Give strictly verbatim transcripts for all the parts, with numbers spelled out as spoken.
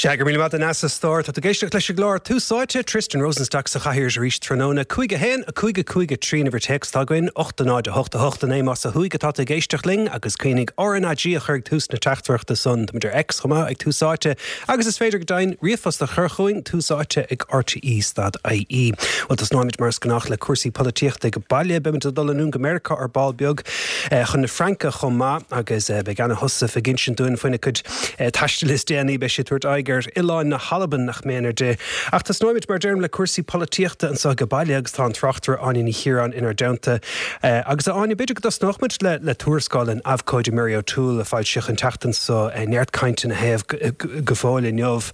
Sea, go raibh míle maith agat, a stór. Tá tú ag éisteacht leis an gclár Tús Áite, Tristan Rosenstock sa chathaoir arís tráthnóna. Cúig a haon, a cúig a cúig a trí an uimhir téacs atá againn, ocht a náid a hocht a hocht a naoi más ó thuaidh atá tú ag éisteacht linn agus cuimhnigh R N A G a chur ag tús na teachtaireachta san. Táimid ar X chomh maith ag Tús Áite agus is féidir go deimhin ríomhphost a chur chugainn, tús áite ag R T E stad I E. Well, tosnóimid mar is gnách le cúrsaí polaitíochta ag baile. Beimid ag dul anonn go Meiriceá ar ball beag chun na Fraince chomh maith agus beidh Anna Heussaff ag insint dúinn faoina cuid taistil is déanaí. Beidh sí ag tabhairt aghaidh ar oileáin na hAlban, nach méanar di. Ach tosnóimid, mar deirim, le cúrsaí polaitíochta anseo ag baile agus tá an tráchtaire Áine Ní Chiaráin inár dteannta. Agus a Áine, b'fhéidir go dtosnóimid le le tuarascáil an abhcóide Mary O'Toole a foilsíodh an tseachtain seo, neart cainte ina thaobh go fóill inniu.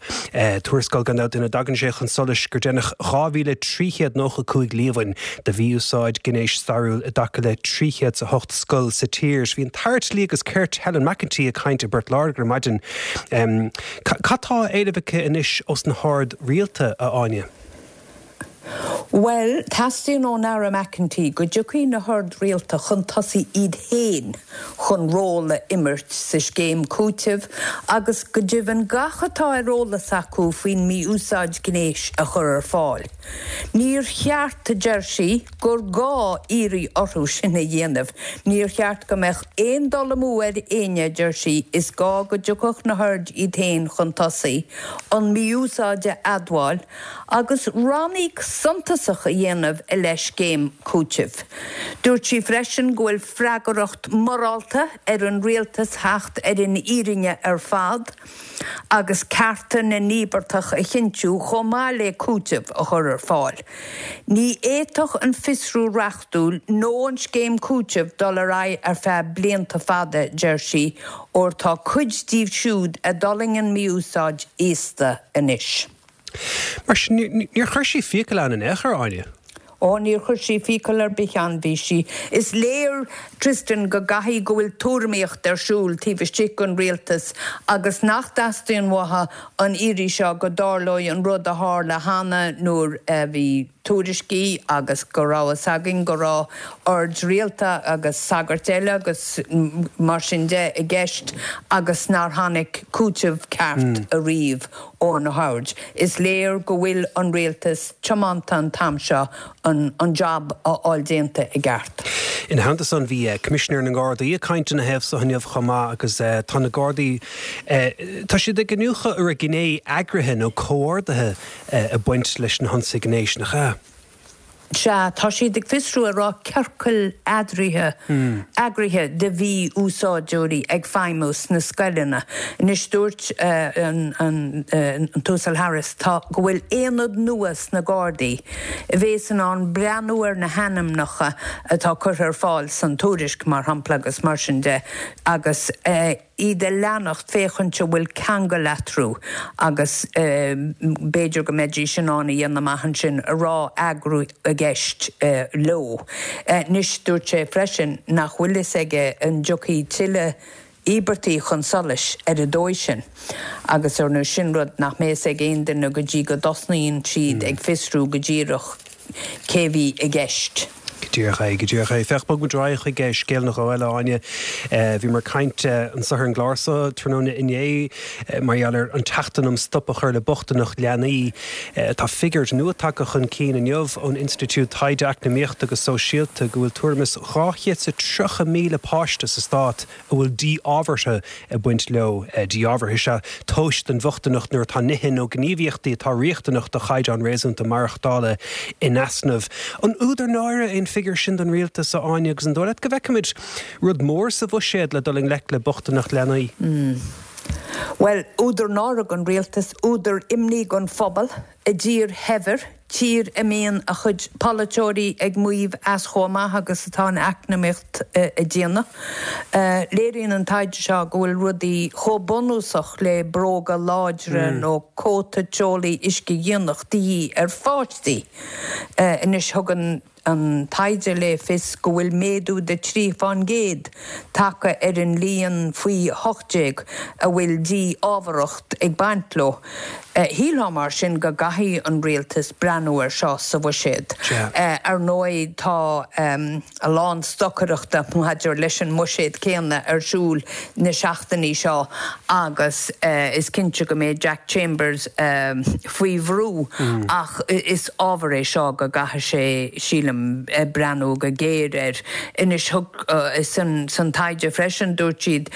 Tuarascáil gan dabht ina dtagann sé chun solais gur déanadh dhá mhíle trí chéad nócha cúig líomhain de mhí-úsáid gnéis stairiúil i dtaca le trí chéad a hocht scoil sa tír. Bhí an tAire Dlí agus Cirt Helen McEntee ag caint i bPort Láirge ar maidin. Um, Cad tá á éileamh aici anois ós na hoird rialta, a Áine? Well, teastaíonn ón Aire McEntee go dtiocfaidh na hoird rialta chun tosaigh iad féin chun ról a imirt sa scéim cúitimh agus go deimhin gach atá ar eolas acu faoin mí-úsáid gnéis a chur ar fáil. Níor cheart, a deir sí, gur gá iarraidh orthu sin a dhéanamh. Níor cheart go mbeadh aon dul amú ar éinne, deir sí, is gá go dtiocfadh na hoird iad féin chun tosaigh, an mí-úsáid a admháil, agus ranníoc suntasach a dhéanamh i leith scéim cúitimh. Dúirt sí freisin go bhfuil freagracht mhorálta ar an rialtas theacht ar an fhírinne ar fad agus cearta na n-íobartach a chinntiú chomh maith le cúiteamh a chur ar fáil. Ní fhéadfadh an fiosrú reachtúil nó an scéim cúitimh dul ar aghaidh ar feadh blianta fada, deir sí, óir tá cuid díobh siúd a d'fhulaing an mí-úsáid aosta anois. Mar sin níor chuir sí fiacail ann in aon chor, Áine? Ó, níor chuir sí fiacail ar bith ann. Bhí sí. Is léir, Tristan, go gcaithfidh go bhfuil tuairimíocht ar siúl taobh istigh den rialtas agus nach dteastaíonn uathu an iarraidh seo go dtarlóidh an rud a tharla cheana nuair a bhí tuairiscí agus go raibh fhios againn go raibh oird rialta agus sagairt eile agus mar sin de i gceist agus nár tháinig cúiteamh ceart ariamh ó na hoird. Is léir go bhfuil an rialtas tiomanta an t-am seo an, an job a fháil déanta i gceart. Ina theannta san bhí Coimisinéir na nGardaí ag caint ina thaobh seo inniu chomh maith agus tá na Gardaí, tá siad ag iniúchadh ar a gné eagraithe nó comhordaithe ag baint leis na hionsaithe gnéis, nach ea? Sea, tá siad ag fiosrú an raibh ciorcal eadraithe eagraithe de mhí-úsáideoirí ag feidhmiú sna scoileanna. Anois dúirt an an an tUasal Harris tá go bhfuil aonad nua sna Gardaí a bheas in ann breathnú ar na hainmneacha atá curtha ar fáil san tuairisc mar shampla agus mar sin de agus iad a leanacht féachaint an bhfuil ceangal eatarthu agus b'fhéidir go mbeidís in ann a dhéanamh amach ansin an raibh eagrú i gceist leo. Anois dúirt sé freisin nach bhfuil fhios aige an dtiocfaidh tuilleadh íobartaigh chun solais ar an dóigh sin agus ar nó sin rud nach mbeidh ag aon duine go dtí go dtosnaíonn siad ag fiosrú go díreach cé bhí i gceist. Go díreach é, go díreach é. Féach, bogfaidh muid ar aghaidh chuig scéal nó dhó eile, Áine. Bhíomar ag caint anseo ar an gclár seo tráthnóna inné mar gheall ar an tseachtain um stop a chur le bochtaineacht leanaí. Tá figiúr nua tagtha chun cinn inniu ón Institiúid Taighde Eacnamaíochta agus Sóisialta go bhfuil tuairim is dhá chéad is tríocha míle páiste sa stát a bhfuil díth ábhartha ag baint leo. Díth ábhartha is ea tomhas den bhochtaineacht nuair atá nithe nó gníomhaíochtaí atá riachtanach do chaighdeán réasúnta maireachtála in easnamh. An údar náire é an figiúr sin don rialtas, a Áine, agus an dóigh leat go bhfeicfimid rud mór sa bhuiséad le dul i ngleic le bochtaineacht leanaí? Well, údar náire don rialtas, údar imní don phobal i dtír shaibhir, tír a mbíonn a chuid polaiteoirí ag maíomh as chomh maith agus atá an eacnamaíocht ag déanamh. Léiríonn an taighde seo go bhfuil rudaí chomh bunúsach le bróga láidre nó cóta teolaí uiscedhíonach de dhíth ar pháistí. Anois thug an an taighde le fios go bhfuil méadú de trí faoin gcéad tagtha ar an líon faoi hocht déag a bhfuil dí-ámharacht ag baint leo. Shílfeá mar sin go gcaithfidh an rialtas breathnú air seo sa bhuiséad. Ar ndóigh tá a lán stocaireachta maidir leis an mbuiséad céanna ar siúl na seachtainí seo agus is cinnte go mbeidh Jack Chambers faoi bhrú ach is ábhar é seo go gcaithfidh sé, sílim, breathnú go géar air. Anois thug san taighde freisin dúirt siad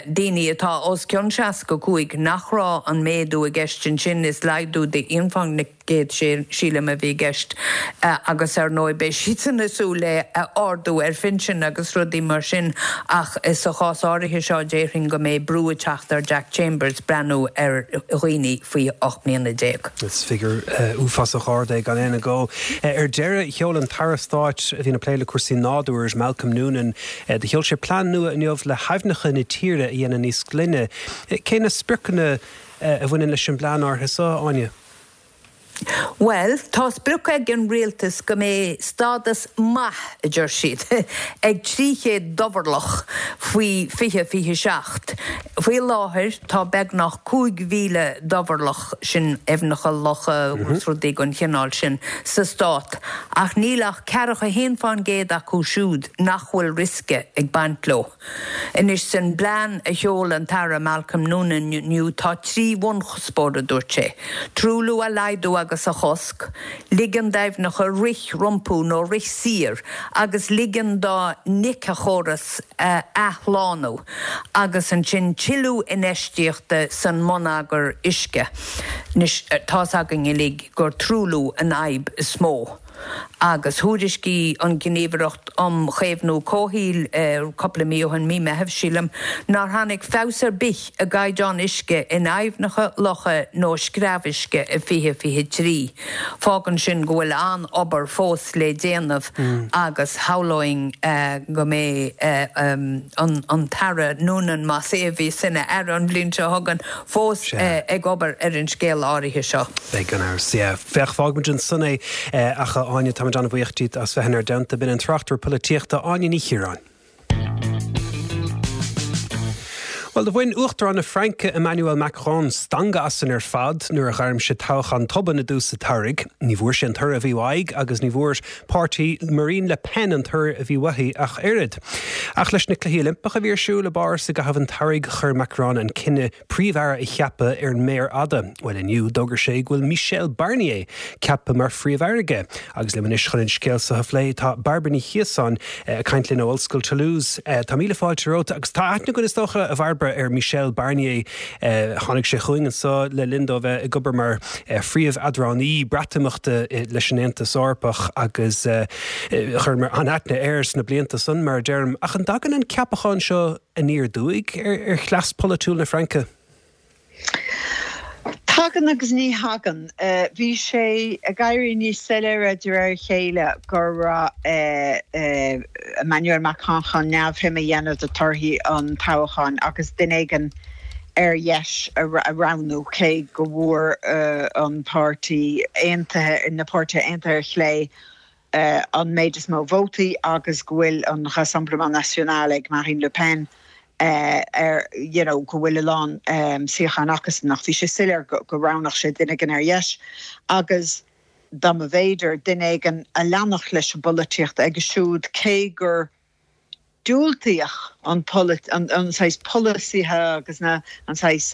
daoine atá os cionn seasca cúig nach raibh an méadú i gceist ansin, is laghdú de aon faoin gcéad sílim a bhí i gceist agus ar ndóigh beidh siadsan ag súil le ardú ar phinsin agus rudaí mar sin ach sa chás áirithe seo déarfainn go mbeidh brú ag teacht ar Jack Chambers breathnú ar dhaoine faoi ocht mbliana déag. Is figiúr uafásach ard é gan aon agó. Ar deireadh, sheol an tAire Stáit a bhíonn ag plé le cúrsaí nádúir, Malcolm Noonan, do sheol sé plean nua inniu le haibhneacha na tíre a dhéanamh níos glaine. Cé na spriocanna a bhaineann leis an bplean áirithe seo, Áine? Bhuel, tá sprioc ag an rialtas go mbeidh stádas maith, a deir siad, ag trí chéad dobharlach faoi fiche fiche seacht. Faoi láthair tá beagnach cúig mhíle dobharlach, sin aibhneacha, locha agus rudaí den chineál sin, sa stát, ach níl ach ceathracha a haon fán gcéad acu siúd nach bhfuil riosca ag baint leo. Anois, san bplean a sheol an tAire Malcolm Noonan inniu tá trí bhunchuspóir, a dúirt sé, truailliú a laghdú agus a chosc, ligean d'aibhneacha rith rompu nó rith siar agus ligean dá n-éiceachóras a athshlánú, agus ansin tuilleadh infheistíochta san mbonneagar uisce. Anois, tá's againn uilig gur truailliú an fhadhb is mó. Agus thuairiscigh an Ghníomhaireacht um Chaomhnú Comhshaoil cúpla mí ó shin, mí Meithimh, sílim, nár tháinig feabhas ar bith i gcaighdeán uisce in aibhneacha, locha nó screamhuisce i fiche fiche trí. Fágann sin go bhfuil an-obair fós le déanamh agus shamhlóinn go mbeidh an tAire Noonan, más é a bheas ina aire an bhliain seo chugainn, fós ag obair ar an scéal áirithe seo. Beidh gan amhras, yeah. Féach, fágfaimid ansan é ach a Áine, táimid an-bhuíoch díot as bheith inár dteannta. B'in an tráchtaire polaitíochta Áine Ní Chiaráin. Bhuel, do bhain Uachtarán na Fraince Emmanuel Macron stangadh asainn ar fad nuair a ghairm sé toghchán tobann i dtús an tsamhraidh. Ní bhfuair sé an toradh a bhí uaidh agus ní bhfuair páirtí Marine Le Pen an toradh a bhí uaithi ach oiread. Ach leis na Cluichí Oilimpeacha a bhí ar siúl i bPáras i gcaitheamh an tsamhraidh chuir Macron an cinneadh Príomh-Aire a cheapadh ar an méar fhada. Bhuel, inniu, d'fhógair sé go bhfuil Michel Barnier ceaptha mar Phríomh-Aire aige. Agus liom anois chun an scéal seo a phlé tá Bairbre Ní Chiosáin ag caint linn ó Ollscoil Toulouse. Tá míle fáilte romhat agus tá aithne againn is dócha, a Bhairbre, ar Michel Barnier. Tháinig sé chugainn anseo le linn dó bheith ag obair mar phríomh-eadránaí Breatimeachta leis an Aontas Eorpach agus chuireamar an-aithne air sna blianta san, mar a deirim. Ach an dtagann an ceapachán seo aniar aduaidh ar chleas polaitiúil na Fraince? Tagann agus ní thagann. Bhí sé ag éirí níos soiléire de réir a chéile go raibh Emmanuel Macron chun neamhshuim a dhéanamh de thorthaí an toghcháin agus duine éigin ar dheis a roghnú, cé go bhfuair an páirtí aontaithe, na páirtithe aontaithe ar chlé, an méid is mó vótaí agus go bhfuil an Rassemblement National ag Marine Le Pen ar you know go bhfuil a lán suíochán acusan ach bhí sé soiléir go roghnódh sé duine éigin ar dheis agus dá mba bhféidir duine éigin a leanfadh leis an bpolaitíocht aige siúd cé gur diúltaíodh an an saghas polasaithe agus na an saghas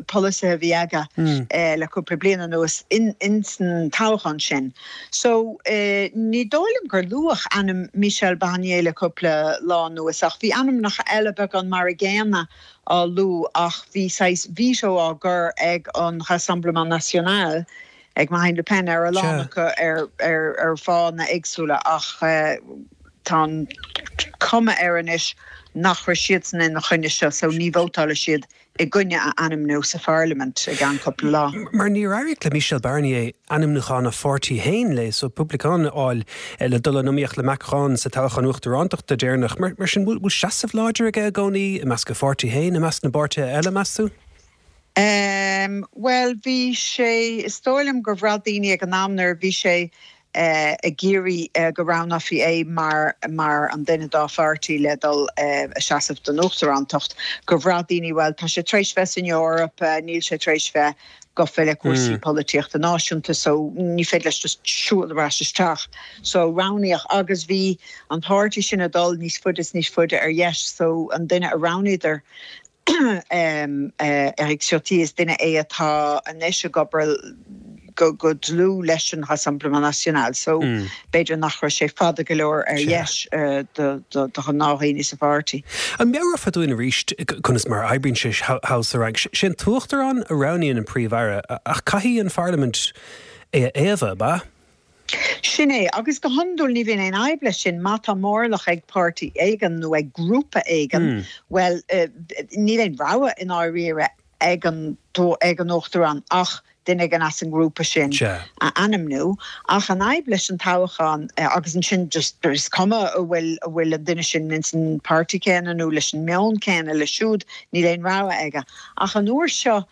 polasaithe a bhí aige le cúpla bliain anuas in insan toghchán sin. So ní dóigh liom gur luadh ainm Michel Barnier le cúpla lá anuas ach bhí ainmneacha eile beagán mar a gcéanna á lua ach bhí saghas veto á gcur ag an Rassemblement National ag Marine Le Pen ar a lán acu ar ar ar fáthanna éagsúla ach tá an cuma air anois nach raibh siadsan ina choinne seo so ní vótálfaidh siad i gcoinne a ainmniú sa pharlaimint i gceann cúpla lá. Mar níor éirigh le Michel Barnier ainmniúchán a pháirtí féin, Les Républicains, a fháil le dul in iomaíocht le Macron sa toghchán uachtarántachta deireanach. Mar sin, bhfuil seasamh láidir aige i gcónaí i measc a pháirtí féin, i measc na bpáirtithe eile, meas tú? Bhuel, bhí sé, is dóigh liom gur bhraith daoine ag an am nuair a bhí sé ag iarraidh go roghnófaí é mar mar an duine dá pháirtí le dul a seasamh don uachtarántacht, gur bhraith daoine bhuel tá sé tar éis bheith san Eoraip, níl sé tar éis bheith gafa le cúrsaí polaitíochta náisiúnta so ní féidir leis just siúl ar ais isteach. So roghnaíodh agus bhí an páirtí sin ag dul níos faide is níos faide ar dheis so an duine a roghnaíodar um, uh, Eric Ciotti is duine é atá anois ag obair go go dlúth leis an Rassemblement National so mm. b'fhéidir nach raibh sé fada go leor ar dheis uh, do gnáthdhaoine sa pháirtí. An meabhrófá dúinn arís conas mar a oibríonn sé thall sa Fhrainc sin t-uachtarán a roghnaíonn an Príomh-Aire ach caithfidh an Pharlaimint é a fhaomhadh ba? Sin é agus go hiondúil ní bhíonn aon fhadhb leis sin má tá mórlach ag páirtí éigin nó ag grúpa éigin mm. well uh, níl aon rogha i ndáiríre ag an ag an uachtarán ach duine éigin as an ngrúpa sin a ainmniú ach an fhadhb leis an toghchán uh, agus ansin just is cuma an bhfuil an bhfuil an duine sin ins an páirtí céanna nó leis an meon céanna le siúd níl aon rogha aige ach an uair seo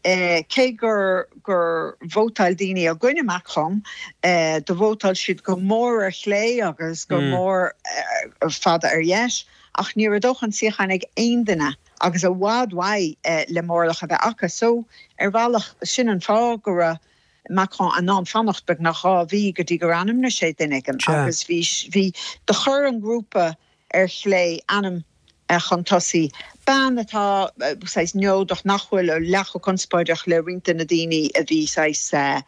eh, cé gur gur vótáil daoine i gcoinne Macron eh, do vótáil siad go mór ar chlé agus go mm. mór eh, fada ar dheis ach ní raibh dóthain suíochán ag aon duine agus i bhfad uaidh eh, le mórlach a bheith acu so ar bhealach sin an fáth go raibh Macron in ann fanacht beagnach dhá mhí go dtí gur ainmnigh sé duine éigin agus bhí bhí do chuir an grúpa ar chlé ainm eh, chun tosaigh. Bean atá saghas neodrach nach bhfuil leath chomh conspóideach le roinnt de na daoine a bhí saghas uh,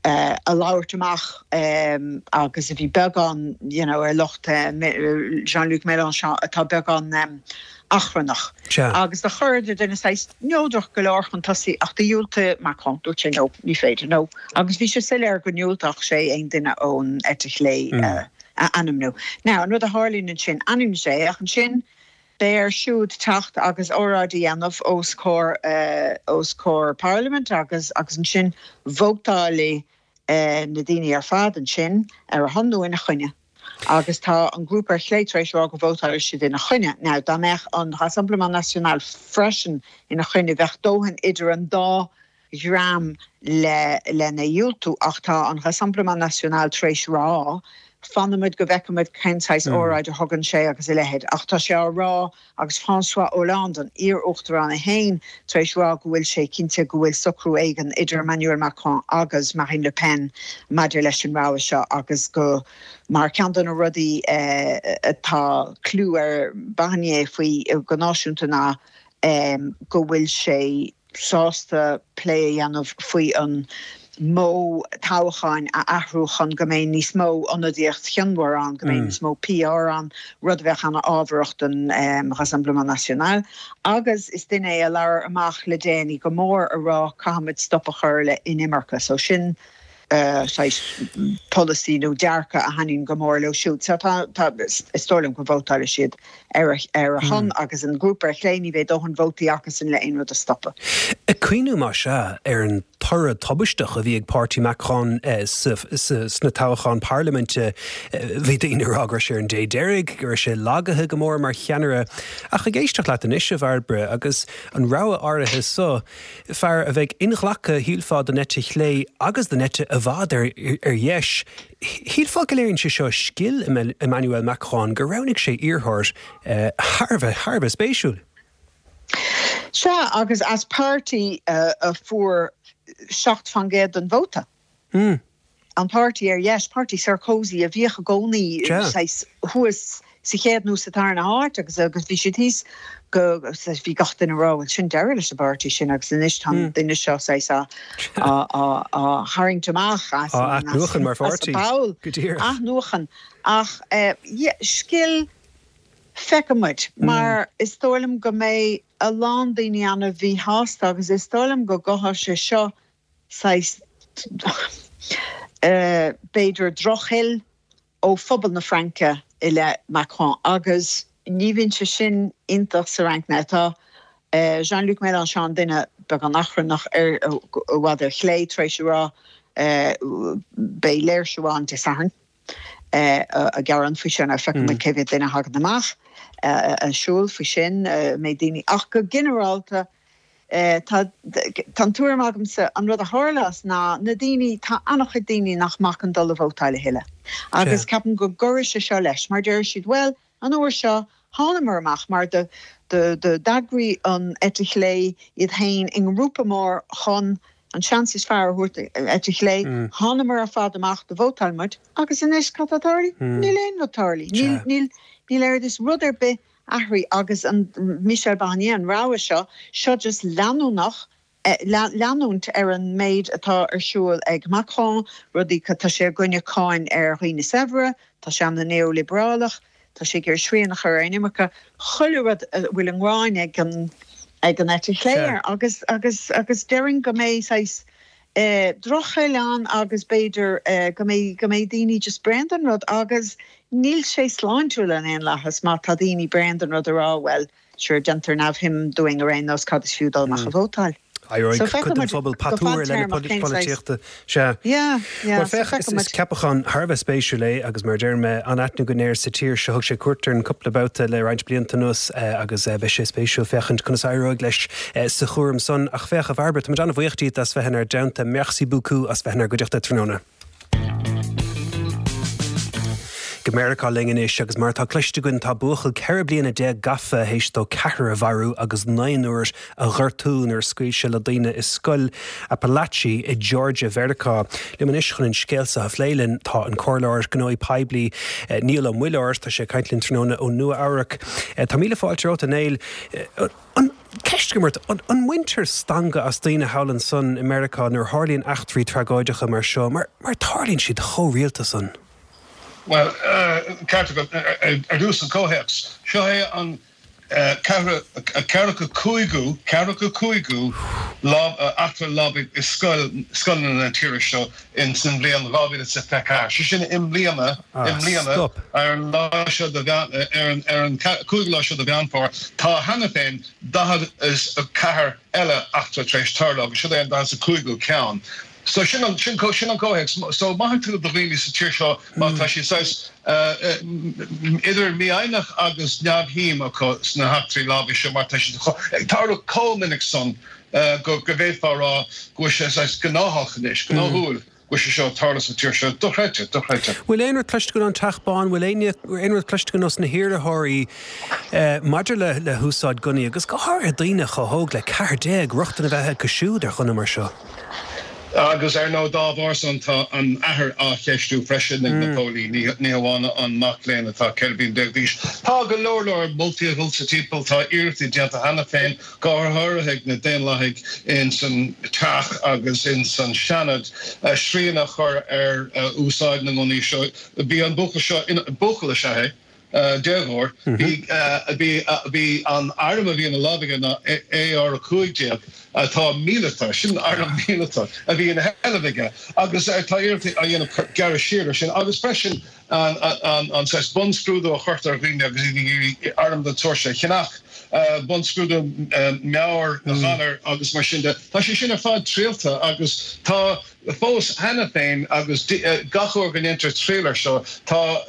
uh, a labhairt amach um, agus a bhí beagán you know, ar lucht uh, Jean-Luc Mélenchon atá beagán um, achrannach. Agus do chuireadar duine saghas neodrach go leor chun tosaigh ach dhiúltaigh Macron dúirt sé no ní féidir no. Agus bhí sé soiléir go ndiúltódh sé aon duine ón eite chlé mm. uh, a ainmniú. Now an rud a tharlaíonn ansin ainmníonn sé ach ansin beidh air siúd teacht agus óráid a dhéanamh os comhair uh, os comhair Parliament agus agus ansin vótáil uh, na daoine ar fad ansin ar a shon nó ina choinne. Agus tá an grúpa ar chlé tar éis rá go vótálfaidh siad ina choinne. Now dá mbeadh an Rassemblement National freisin ina choinne bheadh dóthain idir an dá dhream le lena dhiúltú ach tá an Rassemblement National tar éis rá, fanfaimid go bhfeicfimid cén saghas mm. óráid a thugann sé agus a leithéid ach tá sé á rá agus François Hollande an iar-uachtarán é féin tar éis rá go bhfuil sé cinnte go bhfuil socrú éigin idir Emmanuel Macron agus Marine Le Pen maidir leis an rogha seo agus go mar ceann de na rudaí eh, atá clú ar Barnier faoi go náisiúnta ná um, go bhfuil sé sásta plé a dhéanamh faoi an modh toghcháin a athrú chun go mbeidh níos mó ionadaíocht chionmhar ann go mbeidh mm. níos mó PR ann rud a bheadh an-ábharach don um, Rassemblement National. Agus is duine é a labhair amach le déanaí go mór a rá caithfimid stop a chur le inimirce, so sin uh, polasaí nó dearcadh a thaitníonn go mór leo siúd. So tá is dóigh liom go vótálfaidh siad ar ar a shon mm. agus an grúpa ar chlé ní bheidh dóthain vótaí acusan le aon rud a stopadh. Ag cuimhniú mar seo ar an toradh tubaisteach a bhí ag páirtí Macron eh, sna toghcháin parlaiminte eh, bhí daoine ag rá go raibh sé ar an dé deiridh go raibh sé lagaithe go mór mar cheannaire ach ag éisteacht leat anois a Bhairbre agus an rogha áirithe seo fear a bheidh inghlactha shílfeá don eite chlé agus don eite i bhfad ar, ar dheis. Shílfeá go léiríonn sé seo scil Emmanuel Macron gur roghnaigh sé iarrthóir eh, thar thar bheith spéisiúil. Sea agus as páirtí uh, a fuair seacht faoin gcéad den vóta. Mm. An páirtí ar dheis páirtí Sarkozy a bhíodh i gcónaí thuas sa chéad nó sa tarna háit agus agus bhí siad thíos go bhí gach duine ag rá sin deireadh leis an bpáirtí sin agus anois tá an duine seo á á tharraingt amach athnuachan mar pháirtí athnuachan ach eh, scil feicfimid mar is dóigh liom go mbeidh a lán daoine an-mhíshásta agus is dóigh liom go gcothóidh sé seo saghas eh, b'fhéidir drochfhuil ó phobal na Fraince i leith Macron agus ní bhíonn sé sin iontach sa Fhrainc tá uh, Jean-Luc Mélenchon duine beagán achrannach ar i bhfad ar chlé tar éis rá uh, beidh léirsiú ann Dé Sathairn uh, a gearán faoi sin a feicfimid mm. cé mhéad duine a thagann amach uh, an siúl faoi sin uh, mé daoine ach go ginearálta Tá tá an tuairim agamsa an rud a tharlas ná na daoine tá an-chuid daoine nach mbeadh ag dul a vótáil a thuilleadh. Agus ceapaim go gcuirfidh sé seo leis, mar deir siad well an uair seo thánamar amach mar de de de d'eagraigh an eite chlé iad féin i ngrúpa mór chun an seans is fearr a thabhairt eite chlé mm. thánamar ar fad amach do vótáil muid agus anois cad atá tarlaithe mm. níl aon rud tarlaithe níl níl níl air is rud ar bith athraithe agus an Michel Barnier an rogha seo seo just leanúnach eh, leanúint ar an méid atá ar siúl ag Macron rudaí tá sé i gcoinne cáin ar dhaoine saibhre tá sé an neoliobrálach tá sé gur srian a chur ar inimirce chuile rud bhfuil an ghráin ag an ag an eite chlé agus agus agus déarfainn go mbeidh saghas eh, drochshaol ann agus b'fhéidir eh, go mbeidh go mbeidh daoine just bréan den rud agus níl sé sláintiúil in aon lathas má tá daoine bréan den rud a rá well sure déantar neamhshuim dúinn ar aon nós cad is fiú dul amach a vótáil. Aéir phobal patúir le polaitíochta sé Féach ceapachán thar a bheith spéisiúil é agus mar deir mé an aithne go léir sa tír seo thug sé cuairt ar an cúpla babhta le roinnt blianta anuas agus beidh sé spéisiúil féachaint conas éireoidh leis sa chúram san ach féach a Bhairbre tá an-bhuíoch díot as bheith inár dteannta merci beaucoup as bheith inár gcuideachta tráthnóna. Go Meiriceá linn anois agus mar tá cloiste againn tá buachaill ceithre bliana déag gafa théis dó ceathrar a mharú agus naonúr a ghortú nuair a scaoil sé le daoine i scoil Apalachee i Georgia Mheiriceá. Liom anois chun an scéal seo a phlé linn tá an comhairleoir gnóthaí poiblí eh, Niall Ó Muilleoir tá sé ag caint linn tráthnóna ó Nua Eabhrac. Eh, tá míle fáilte romhat a Néill eh, an ceist agam ort an, an mbaintear stangadh as daoine thall ansan i Meiriceá nuair a tharlaíonn eachtraí tragóideacha mar seo, mar, mar tarlaíonn siad chomh rialta san. Well ceart ar dtús an comhthéacs. Seo é an ceathracha cúigiú ceathracha cúigiú eachtra lámhaigh i scoil scoileanna na tíre seo in san bhliain dhá mhíle is fiche ceathair. Sé sin i mbliana i mbliana ar an lá seo ar ar an cúigiú lá seo de Mheán Fómhair tá cheana féin daichead is a ceathair eile eachtra tar éis tarlú agus seo é an daichead is a cúigiú ceann. So sin an sin sin an comhthéacs. So maith tú do dhaoine sa tír seo má tá siad saghas idir mífhoighneach agus neamhshuim acu sna heachtraí lámhaigh seo mar tá siad ag tarlú chomh minic san go go bhféadfá a rá go bhfuil sé saghas gnáthach anois, gnáthúil go bhfuil sé seo ag tarlú sa tír seo. Dochreidte, dochreidte. Bhfuil aon rud cloiste againn ón Teach Bán, bhfuil aon aon rud cloiste againn ós na hiarrthóirí maidir le le húsáid gunnaí agus go háirithe daoine chomh hóg le ceathair déag rochtain a bheith acu siúd ar ghunna mar seo? Agus ar ndóigh dá bharr san tá an athair á cheistiú freisin ag na póilíní, ní hamháin an mac léinn atá ceithre bliana déag d'aois. Tá go leor leor moltaí ag dul sa timpeall, tá iarrachtaí déanta cheana féin, go háirithe ag na Daonlathaigh in san Teach agus in san Seanad, srian a chur ar úsáid na ngunnaí seo. Bhí an buachaill seo, buachaill is ea é, déagóir. Bhí bhí bhí an arm a bhí ina lámh aige ná A R a cúig déag atá míleata, sin arm míleata a bhí ina sheilbh aige agus tá iarrachtaí á dhéanamh gearradh siar air sin agus freisin an an an saghas bunscrúdú a chuirtear ar dhaoine agus iad ag iarraidh arm den tsórt seo a cheannach, bunscrúdú meabhairghalair agus mar sin de. Tá sé sin ar fad triallta agus tá fós cheana féin agus gach uair go ndéantar triail air seo, tá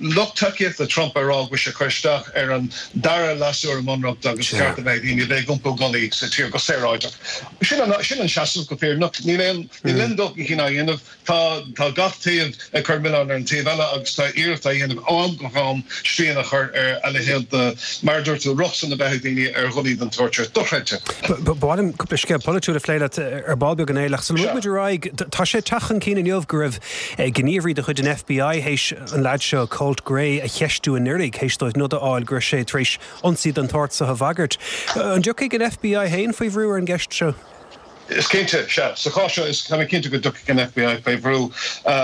lucht tacaíochta Trump ag rá go bhfuil sé ag cur isteach ar an dara leasú ar an mBunreacht agus ceart a bheith ag daoine a bheith ag iompú gunnaí sa tír go saoráideach. Sin an sin an seasamh go fírinneach. Níl aon níl aon dul chun cinn á dhéanamh. Tá tá gach taobh ag cur milleán ar an taobh eile agus tá iarracht á dhéanamh ó am go ham srian a chur ar a leithéid de, mar a dúirt tú, rochtain a bheith ag daoine ar ghunnaí den tsórt seo. Dochreidte. Ba mhaith liom cúpla scéal polaitiúil a phlé leat ar ball beag a Néill ach sula mbogfaidh muid ar aghaidh, tá sé ag teacht chun cinn inniu go raibh gníomhairí de chuid an F B I théis an leaid seo, Colt Gray, a cheistiú anuraidh théis dóibh nod a fháil go raibh sé tar éis ionsaí den tsórt seo a bhagairt. An dtiocfaidh an F B I féin faoi bhrú ar an gceist seo? Is cinnte, sea. Sa chás seo, is tá mé cinnte go dtiocfaidh an F B I faoi bhrú.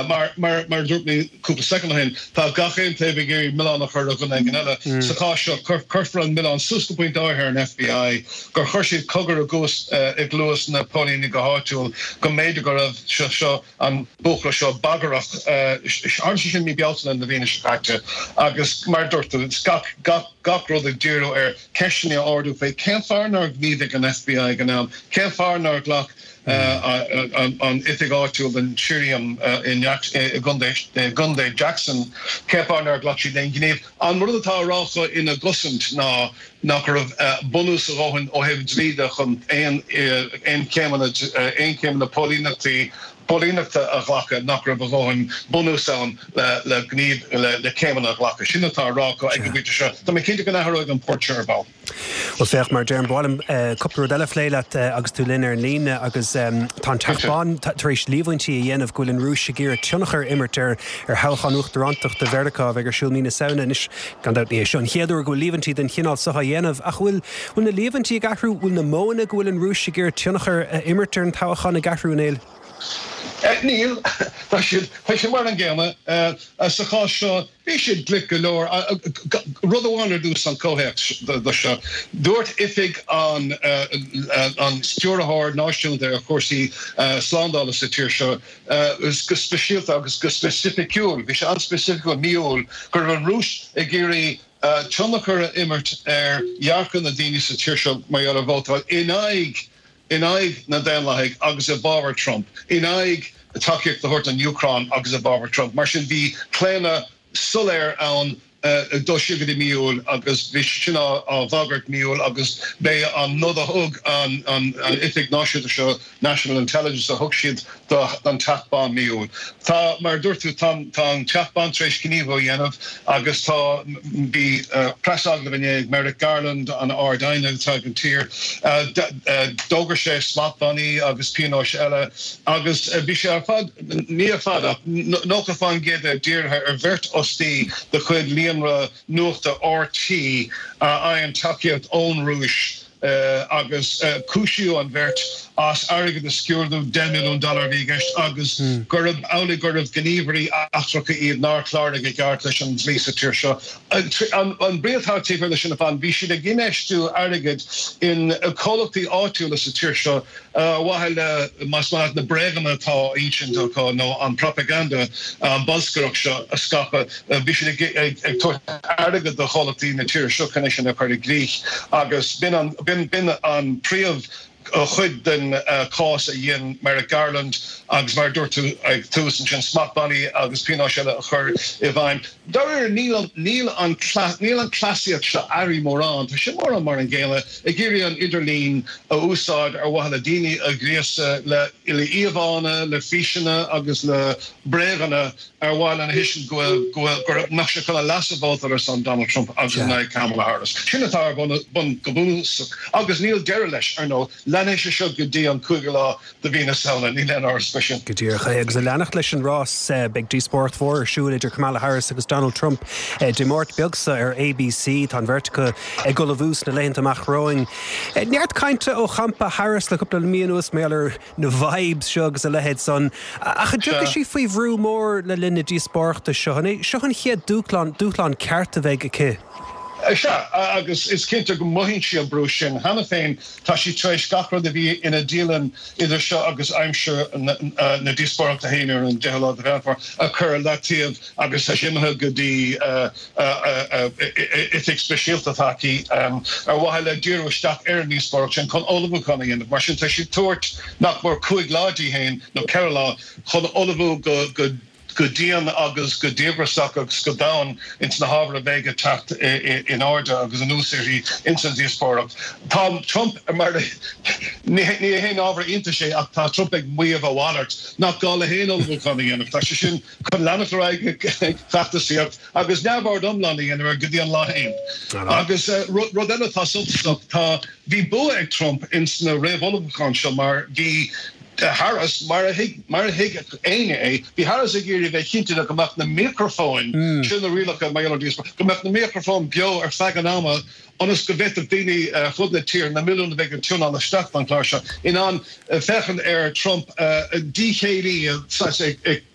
Mar, mar, mar a dúirt mé cúpla soicind ó shin, tá gach aon taobh ag iarraidh milleán a chur ar dhuine éigin eile. Sa chás seo, cuirfear an milleán suas go pointe áirithe ar an F B I, gur chuir siad cogar i gcuas, i gcluas na póilíní go háitiúil go mb'fhéidir go raibh seo, seo, an buachaill seo bagrach. Tharla sé sin mí Bealtaine na bliana seo caite agus mar a dúirt tú, gach, gach, gach rud ag díriú ar ceisteanna a ardú faoi cén fáth nár ghníomhaigh an F B I ag an am, cén fáth nár ghlac ghlac an oifig áitiúil den Shirriam i gContae Jackson, cén fáth nár ghlac siad aon ghníomh. An rud atá á rá acu ina gcosaint ná nach raibh bunús a dhóthain ó thaobh dlí de chun aon aon chéimeanna aon chéimeanna póilíneachtaí póilíneachta a ghlacadh, nach raibh a dhóthain bunús ann le le gníomh le le céimeanna a ghlacadh. Sin atá á rá acu ag an bpointe seo. Tá mé cinnte go n-athróidh an port seo ar ball. Bhuel féach, mar a deirim, ba mhaith liom cúpla rud eile a phlé leat agus tú linn ar an líne agus tá an Teach Bán tar éis líomhaintí a dhéanamh go bhfuil an Rúis ag iarraidh tionchar a imirt ar ar thoghchán uachtarántachta Mheiriceá a bheidh ar siúl mí na Samhna. Anois, gan dabht ní hé seo an chéad uair go bhfuil líomhaintí den chineál seo á dhéanamh ach bhfuil bhfuil na líomhaintí ag athrú, bhfuil na modhanna go bhfuil an Rúis ag iarraidh tionchar a imirt ar an toghchán ag athrú, a Néill? Níl. Tá siad tá siad mar an gcéanna. Sa chás seo, bhí siad glic go leor. Rud amháin ar dtús an comhthéacs do seo. Dúirt oifig an an Stiúrthóir Náisiúnta ar chúrsaí slándála sa tír seo go speisialta agus go specificiúil, bhí sé an-specificiúil, mí Iúil, go raibh an Rúis ag iarraidh tionchar a imirt ar dhearcadh na daoine sa tír seo mar gheall ar vótáil in aghaidh in aghaidh na Daonlathaigh agus i bhfabhar Trump, in aghaidh tacaíocht a thabhairt don Úcráin agus i bhfabhar Trump. Mar sin bhí claonadh soiléir ann dul siar go dtí mí Iúil agus bhí sin á bhagairt mí Iúil agus b'é an nod a thug an an oifig náisiúnta seo, National Intelligence, a thug siad don Teach Bán mí Iúil. Tá, mar a dúirt tú, tá an Teach Bán tar éis gníomhú a dhéanamh agus tá, bhí preasagallamh inné ag Merrick Garland, an Ard-Aighne atá ag an tír. D'fhógair sé smachtbhannaí agus pionóis eile agus bhí sé ar fad, ní ar fad ach nócha faoin gcéad de dírithe ar bheirt fhostaí de chuid líonra nuachta R T a fhaigheann tacaíocht ón Rúis agus cúisíodh an bheirt as airgead a sciúradh, deich milliún dollar a bhí i gceist, agus gurb amhlaidh gurbh gníomhairí eachtracha iad nár chláraigh i gceart leis an dlí sa tír seo. An brí atá taobh thiar de sin ar fad, bhí siad ag infheistiú airgid in comhlachtaí áitiúla sa tír seo ar mhaithe le, más maith leat, na bréaganna atá á insint acu nó an propaganda, an bolscaireacht seo a scaipeadh. Bhí siad ag tabhairt airgead do chomhlachtaí na tíre seo chun é sin a chur i gcrích agus b'in an b'in an príomh chuid den chás a dhein Merrick Garland agus mar a dúirt tú ag tús ansin, smachtbhannaí agus pionóis eile a chur i bhfeidhm. Dáiríre níl níl an níl an cleasaíocht seo athraithe mórán, tá sé mórán mar an gcéanna, ag iarraidh an idirlíon a úsáid ar mhaithe le daoine a ghríosadh le le íomhánna, le físeanna agus le bréaganna ar mhaithe lena thuiscint go bhfuil go bhfuil go mbeadh sé chun a leasa vótáil ar son Donald Trump agus in aghaidh Kamala Harris. Sin atá ar bun bun go bunúsach agus níl deireadh leis, ar ndóigh. Leanfaidh sé seo go dtí an cúigiú lá de mhí na Samhna, níl aon amhras faoi sin. Go díreach é. Agus ag leanacht leis an rás, beidh díospóireacht mhór ar siúl idir Kamala Harris agus Donald Trump Dé Máirt beag seo ar A B C. Tá an bheirt acu ag ullmhú sna laethanta amach romhainn. Neart cainte ó champa Harris le cúpla mí anuas mar gheall ar na vibes seo agus a leithéid san. Ach an dtiocfaidh sí faoi bhrú mór le linn na díospóireachta seo? An é seo an chéad dúshlán, dúshlán ceart a bheidh aici? Sea, agus is cinnte go mothaíonn sí an brú sin cheana féin. Tá sí tar éis gach rud a bhí ina dialann idir seo agus aimsir na díospóireachta féin ar an deichiú lá de Mheán Fómhair a chur ar leataobh agus tá sí imithe go dtí oifig speisialta atá aici ar mhaithe le díriú isteach ar an ndíospóireacht sin chun ullmhúchán a dhéanamh. Mar sin tá sí ag tabhairt nach mór cúig lá di féin nó ceithre lá chun ullmhú go go go dian agus go díograiseach agus go domhain ins na hábhair a bheidh ag teacht in airde agus anuas uirthi ins an díospóireacht. Tá Trump mar ní haon ábhar iontais é ach tá Trump ag maíomh a mhalairt nach gá le haon ullmhúchán a dhéanamh. Tá sé sin chun leanacht ar aghaidh ag feachtasaíocht agus neamhaird iomlán a dhéanamh ar go dtí an lá féin. Agus rud eile atá suntasach tá bhí bua ag Trump ins na réamhullmhúcháin seo mar bhí Harris mar a thuig mar a thuig éinne é, bhí Harris ag iarraidh bheith cinnte go mbeadh na micreafóin sin na rialacha mar go mbeadh na micreafóin beo ar feadh an ama ionas go bhféadfadh daoine fud na tíre na milliúin a bheidh ag tiúnáil isteach don chlár seo in ann féachaint ar Trump díchéillí ag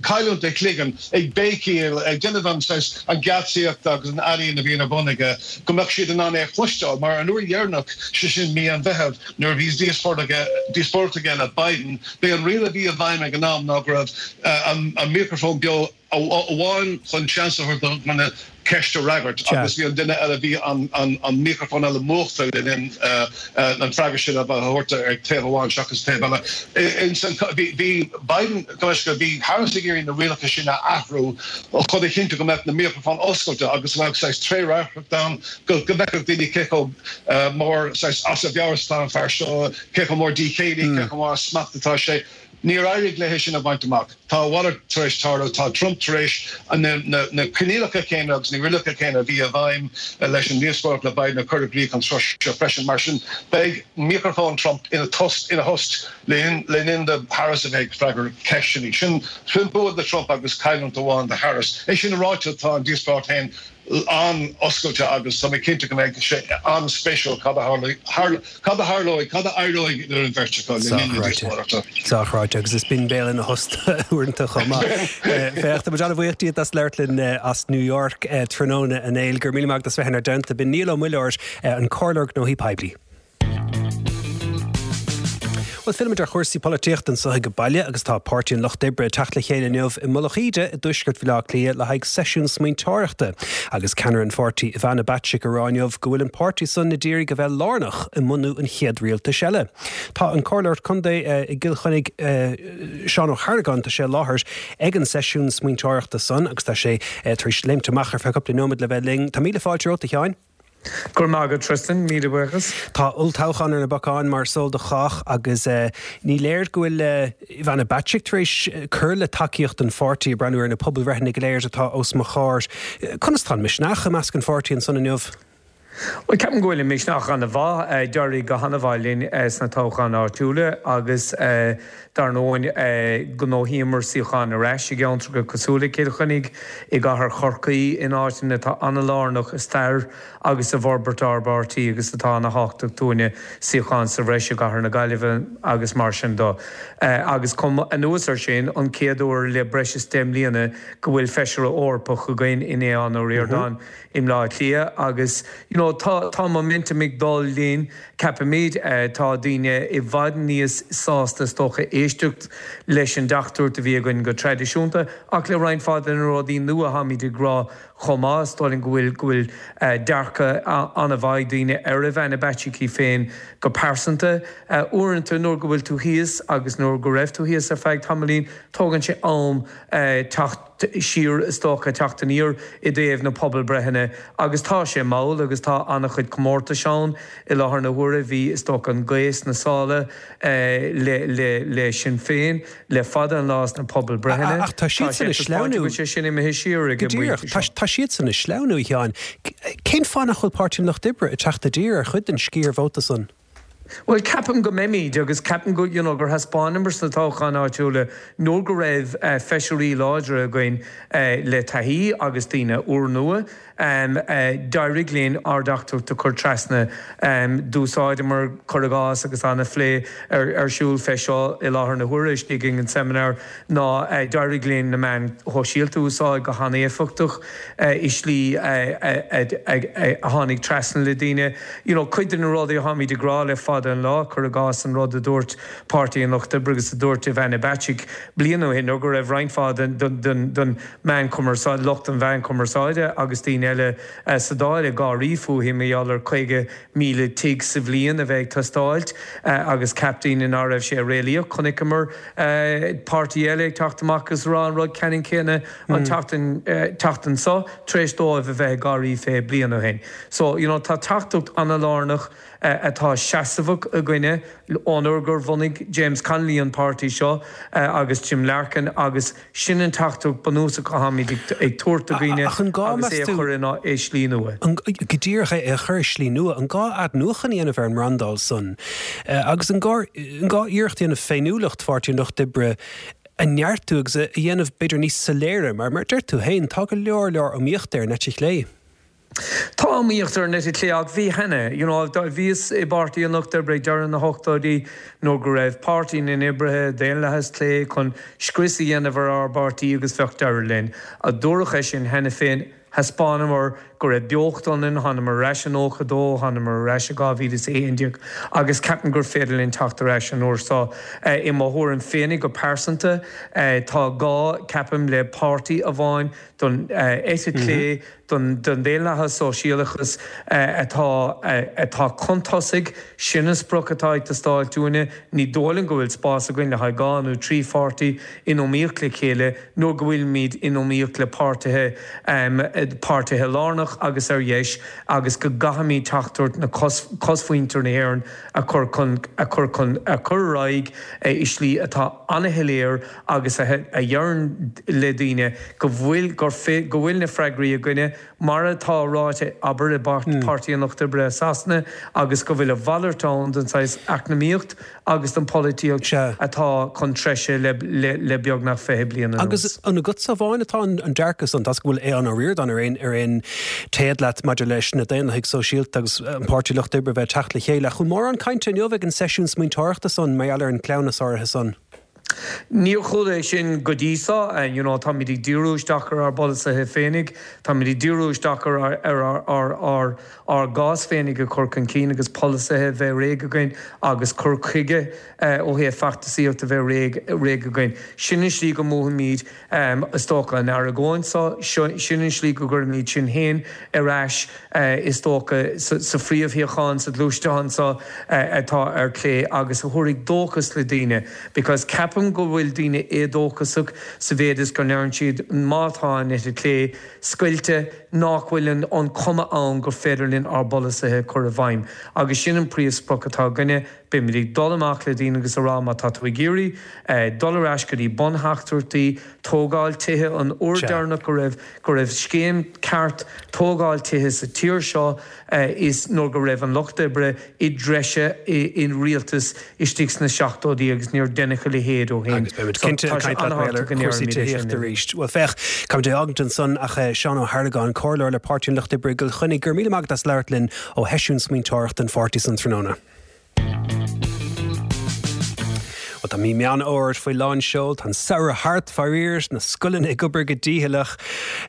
cailliúint a chloigeann ag béicíl ag déanamh an an gheatsaíocht agus an ealaín a bhíonn ar bun aige go mbeadh siad in ann é a chloisteáil mar an uair dheireanach sé sin mí an Mheithimh nuair a bhí díospóireacht aige le Biden b'é an riail a bhí i bhfeidhm ag an am ná go raibh an micreafón beo amháin chun seans a thabhairt ceist a fhreagairt agus bhí an duine eile bhí an an an micreafón eile múchta le linn an freagra sin a thabhairt ag taobh amháin seachas taobh eile. Bhí bhí Biden go bhí Harris ag iarraidh na rialacha sin a athrú chun a chinntiú go mbeadh na micreafóin oscailte agus go mbeadh saghas trédhearcacht ann go go bhfeicfeadh daoine cé chomh mór saghas as a mheabhair atá an fear seo, cé chomh mór díchéillí, cé chomh mór as smacht atá sé. Níor éirigh léi sin a bhaint amach. Tá a mhalairt tar éis tarlú, tá Trump tar éis na coinníollacha céanna agus na rialacha céanna a bhí i bhfeidhm leis an ndíospóireacht le Biden a chur i gcrích an tráth seo freisin. Mar sin, beidh micreafón Trump ina thost ina thost le linn do Harris a bheith ag freagairt ceisteanna. Sin sin bua do Trump agus cailliúint amháin do Harris. É sin ráite, tá an díospóireacht féin an-oscailte agus tá mé cinnte go mbeidh sé an-spéisiúil cad a cad a tharlóidh, cad a éireoidh idir an bheirt acu le linn na díospóireachta. Sách ráite agus is binn béal ina thost uaireanta chomh maith. Féach, tá muid an-bhuíoch díot as labhairt linn as New York tráthnóna a Néill. Go raibh míle maith agat as bheith inár dteannta. B'in Niall Ó Muilleoir, an Comhairleoir Gnóthaí Poiblí. Bhuel, fillimid ar chúrsaí polaitíochta anseo ag baile agus tá Páirtí an Lucht Oibre ag teacht le chéile inniu i Mullach Íde i dtuaisceart Bhaile Átha Cliath le haghaidh seisiún smaointeoireachta agus ceannaire an pháirtí Ivana Bacik ag rá inniu go bhfuil an páirtí san ag iarraidh a bheith lárnach i mbunú an chéad rialtais eile. Tá an Comhairleoir Contae i gCill Chainnigh Seán Ó hArgáin tá sé i láthair ag an seisiún smaointeoireachta san agus tá sé tar éis léimt amach ar feadh cúpla nóiméad le bheith linn. Tá míle fáilte romhat a Sheáin. Go raibh maith agat Tristan, míle buíochas. Tá olltoghchán ar na bacáin mar is eol do chách agus ní léir go bhfuil Ivana Bacik tar éis cur le tacaíocht an pháirtí ag breathnú ar na pobalbhreitheanna go léir atá os mo chomhair. Conas tá an misneach i measc an pháirtí ansan inniu? Bhuel, ceapaim go bhfuil an misneach an-mhaith. D'éirigh go han-mhaith linn sna toghcháin áitiúla agus dar ndóigh ghnóthaíomar suíocháin ar ais i gceantracha cosúil le Cill Chainnigh, i gcathair Chorcaí, in áiteanna atá an-lárnach i stair agus i bhforbairt ár bpáirtí agus atá ana-thábhachtach dúinne, suíocháin sa bhreis i gcathair na Gaillimhe agus mar sin de. Agus chomh anuas air sin, an chéad uair le breis is deich mbliana go bhfuil Feisire Eorpach againn in Aodhán Ó Ríordáin i mBleá Cliath agus you know tá tá momentum ag dul linn, ceapaimid. Tá daoine i bhfad níos sásta is dócha éisteacht leis an dteachtaireacht a bhí againn go traidisiúnta ach le roinnt mhaith de na rudaí nua atáimid ag rá chomh maith. Is dóigh liom go bhfuil go bhfuil dearcadh an-mhaith ag daoine ar Ivana Bacik í féin go pearsanta. Uaireanta nuair go bhfuil tú thíos agus nuair go raibh tú thíos ar feadh tamaillín, tógann sé am teacht siar, is dócha, teacht aniar i dtaobh na pobalbhreitheanna agus tá sé mall agus tá an-chuid comórtais ann i láthair na huaire. Bhí, is dócha, an ghaoth sna sála le, le, le Sinn Féin le fada an lá sna pobalbhreitheanna. Ach tá Tá sé siadsan ag ag taispeáint go sleamhnú. bhfuil sé sin imithe siar ag Go an díreach. bpointe Tá, seo. tá siadsan ag sleamhnú, a Sheáin. Cén fáth nach bhfuil Páirtí an Lucht Oibre ag teacht i dtír ar chuid den sciar vóta san? Bhuel, ceapaim go mbeimid agus ceapaim go, you know, gur thaispeánamar sna toghcháin áitiúla nuair go raibh feisirí láidre againn le taithí agus daoine úrnua, d'éirigh linn ár dteachtaireacht a chur trasna. D'úsáideamar, cuir i gcás, agus an-phlé ar siúl fé seo i láthair na huaire istigh ag an seimineár, ná d'éirigh linn na meáin shóisialta a úsáid go han-éifeachtach i slí a tháinig trasna le daoine. You know, cuid de na rudaí atáimid ag rá le fada an lá, cuir i gcás an rud a dúirt Páirtí an Lucht Oibre agus a dúirt Ivana Bacik bliain ó shin, nó go raibh roinnt mhaith den den den meán cumarsáide, lucht an mheán cumarsáide agus daoine eile sa Dáil ag gáirí fúithi mar gheall ar caoga míle tigh sa bhliain a bheith ag teastáilt agus cheap daoine ná raibh sé réalaíoch. Chonaiceamar páirtí eile ag teacht amach agus rá an rud ceannann céanna an tseachtain tseachtain seo tar éis dóibh a bheith ag gáirí fé bliain ó shin. So, you know, tá teachtaireacht an-lárnach atá seasamhach againne ón uair gur bhunaigh James Connolly an páirtí seo agus Jim Larkin agus sin an teachtaireacht bunúsach atáimid ag tabhairt do dhaoine Ach an gá, agus é meas a tú, chur in i slí nua. An, go díreach é a chur i slí nua, an gá athnuachan a dhéanamh ar an mbrandáil san agus an gá, an gá iarracht a dhéanamh féiniúlacht Pháirtí an Lucht Oibre a neartú agus a dhéanamh b'fhéidir níos soiléire mar mar deir tú féin tá go leor leor iomaíochta ar an eite chlé. Tá iomaíocht ar an eite chlé ach bhí cheana, you know, bhíos i bPáirtí an Lucht Oibre ag deireadh na hochtóidí nuair go raibh Páirtí na nOibrithe, Daonlathas Clé, chun scrios a dhéanamh ar ár bpáirtí agus bheadh deireadh linn. Dúradh é sin cheana féin. Thaispeánamar go raibh beocht ionainn, thánamar ar ais i nócha dó, thánamar ar ais i dhá mhíle is a haon déag agus ceapaim gur féidir linn teacht ar ais an uair seo. I mo thuairim féinig go pearsanta, tá gá, ceapaim, le páirtí amháin don eite chlé, don daonlathas sóisialachas atá atá chun tosaigh, sin an sprioc atá ag teastáil uainne. Ní dóigh liom go bhfuil spás againn le haghaidh dhá nó trí pháirtí in iomaíocht le chéile nuair go bhfuilimid in iomaíocht le páirtithe páirtithe lárnach agus ar dheis agus go gcaithfimid teachtaireacht na cosmhuintir na hÉireann a chur chun a chur chun a chur ar aghaidh i slí atá an-shoiléir agus a dheireann le daoine go bhfuil gur go bhfuil na freagraí againne, mar atá ráite, abair, i bPáirtí an Lucht Oibre i Sasana, agus go bhfuil a mhalairt ann den saghas eacnamaíocht agus den pholaitíocht atá chun treise le beagnach fiche bliain anuas. Agus an agatsa amháin atá an dearcadh san? Tá's go bhfuil Aodhán Ó Ríordáin ar aon ar aon téad leat maidir leis na Daonlathaigh Sóisialta agus an Páirtí Lucht Oibre bheith ag teacht le chéile. Ach an bhfuil mórán cainte inniu ag an seisiún smaointeoireachta san mar gheall ar an cleamhnas áirithe san? Níor chuala é sin go dtí seo. You know, táimid ag díriú isteach ar ár bpolasaithe féinig, táimid ag díriú isteach ar ar ár ár ár gcás féinig a chur chun cinn agus polasaithe a bheith réidh againn agus cur chuige ó thaobh feachtasaíocht a bheith réidh réidh againn. Sin an slí go mbuafaimid, is dócha, an argóint seo, sin an slí go gcuirfimid sinn féin ar ais, is dócha, sa phríomhshuíochán sa ghluaisteán seo atá ar clé agus a thabharfaidh dóchas le daoine because ceapaim go bhfuil daoine éadóchasach sa mhéid is go ndeireann siad má tá an eite chlé scoilte nach bhfuil an chuma ann gur féidir linn ár bpolasaithe a chur i bhfeidhm agus sin an príomhsprioc atá againne. Beimid ag dul amach le daoine agus a rá má tá tú ag iarraidh dul ar ais go dtí buntheachtaireachtaí, tógáil tithe, an uair deireanach go raibh go raibh scéim ceart tógáil tithe sa tír seo is nuair go raibh an Lucht Oibre i dtreise i rialtas istigh sna seachtóidí agus níor deineadh a leithéid ó shin. Agus beimid cinnte ag caint leat mar gheall ar chúrsaí tithíochta arís. Bhuel féach, caithfimid é a fhágaint ansan ach Seán Ó hArlagáin, Comhairleoir le Páirtí an Lucht Oibre i gCill Chainnigh, go raibh míle maith agat as labhairt linn ó sheisiún smaointeoireachta an pháirtí san tráthnóna. Bhuel, tá mí Meán Fhómhair faoi lán seol, tá an samhradh thart, faraor, na scoileanna ag obair go dícheallach,